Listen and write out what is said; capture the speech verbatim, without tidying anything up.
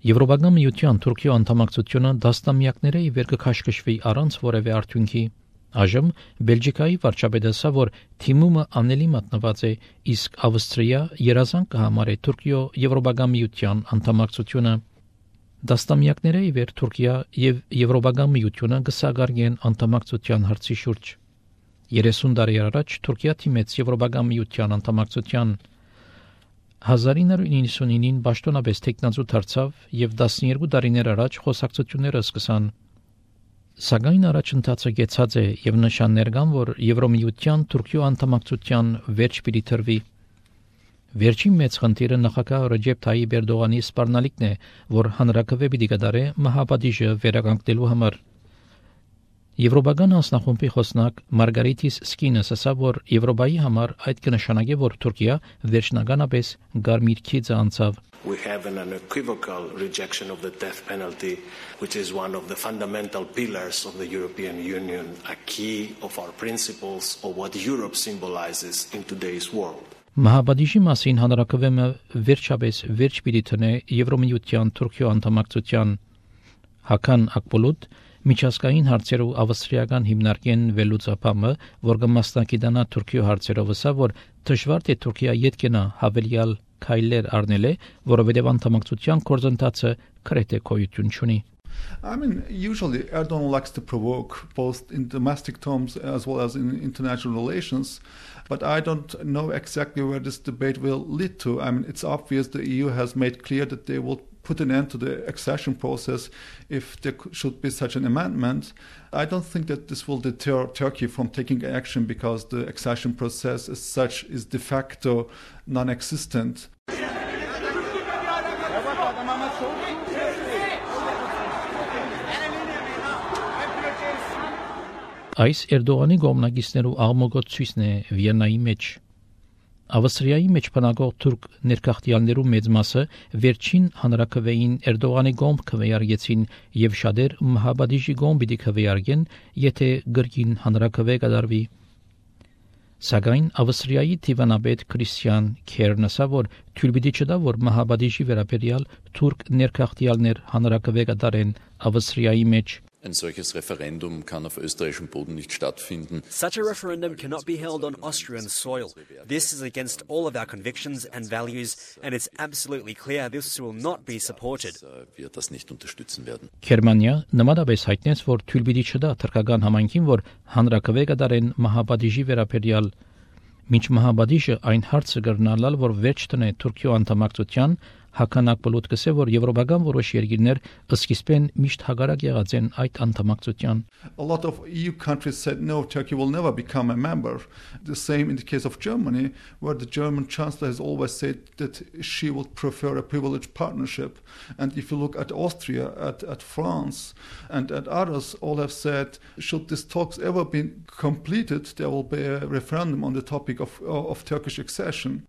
Եվրոպական միության Թուրքիո անդամակցությունը դաստամյակների ի վեր կքաշքշվի առանց որևէ արդյունքի։ Այժմ Բելգիկայի վարչապետը ասա, որ թիմումը անելի մատնված է, իսկ Ավստրիա երազանք կհամարի Թուրքիո Եվրոպական միության անդամակցությունը։ Դաստամյակների ի վեր Թուրքիա եւ Եվրոպական միությունը կսագարգեն անդամակցության հարցի շուրջ։ երեսուն տարի առաջ Թուրքիա թիմեց Եվրոպական միության անդամակցության։ հազար ինը հարյուր նինսունինին պաշտոնապես տեխնազու դարձավ եւ տասներկու տարիներ առաջ խոսակցությունները սկսան։ Սակայն առաջընթացը կեցած է եւ նշաններ կան, որ Եվրոմիության Թուրքիո անդամակցության վերջ պիտի տրվի։ Վերջին մեծ խնդիրը նախագահ Ռեջեփ Թայիփ Էրդողանի սպառնալիքն է, որ հանրակրվե պիտի կդարե մահապատիժը վերականգնելու համար։ Եվրոպական հանձնախումբի խոսնակ Մարգարիտիս Սկինս ասա, որ Եվրոպայի համար այդ կնշանակի, որ Թուրքիա վերջնականապես գարմիր քիծը անցավ։ We have an unequivocal rejection of the death penalty, which is one of the fundamental pillars of the European Union, a key of our principles of what Europe symbolizes in today's world. Մահապատիժի մասին հանրակրվեմը վերջապես վերջ պիտի տնե Եվրոմիության Թուրքիո անդամակցության։ Հական Ակպոլուտ միջազգային հարցերով ավստրիական հիմնարկեն վերլուծապամը, որ կմասնակցի Թուրքիո հարցերով ասա, որ դժվար է Թուրքիա յետքենա հավելյալ քայլեր առնել է, որովհետև անդամակցության գործընթացը քրեթե գոյություն չունի։ I mean, usually Erdogan likes to provoke both in domestic terms as well as in international relations, but I don't know exactly where this debate will lead to. I mean, it's obvious the E U has made clear that they will put an end to the accession process if there should be such an amendment. I don't think that this will deter Turkey from taking action because the accession process as such is de facto non-existent. Այս Էրդողանի գոմնագիստներու աղմոգոտ ցույցն է Վիեննայի մեջ։ Ավստրիայի մեջ բնակող թուրք ներկախտյալներու մեծ մասը վերջին հանրակրվեին Էրդողանի գոմ քվեարկեցին եւ շատեր մահապատիժի գոմ պիտի քվեարկեն, եթե գրքին հանրակրվե կդարվի։ Սակայն Ավստրիայի դիվանապետ Քրիստիան Քերն ասա, որ թույլ պիտի չտա, որ մահապատիժի վերաբերյալ թուրք ներկախտյալներ հանրակրվե կդարեն Ավստրիայի մեջ։ Ein solches Referendum kann auf österreichischem Boden nicht stattfinden. Such a referendum cannot be held on Austrian soil. This is against all of our convictions and values, and it's absolutely clear this will not be supported. Wir das nicht unterstützen werden. Գերմանիա նմանապես հայտնեց, որ թույլ պիտի չտա թրքական համայնքին, որ հանրակրվե կդարեն մահապատիժի վերաբերյալ։ Մինչ մահապատիժը այն հարցը կրնալալ, որ վերջ տնե Թուրքիո անդամակցության Հականակ պլոտ կսե, որ եվրոպական որոշ երկիրներ սկիզբեն միշտ հագարակ եղած են այդ անդամակցության։ A lot of E U countries said no, Turkey will never become a member. The same in the case of Germany, where the German chancellor has always said that she would prefer a privileged partnership. And if you look at Austria, at, at France, and at others, all have said, should these talks ever be completed, there will be a referendum on the topic of, of Turkish accession.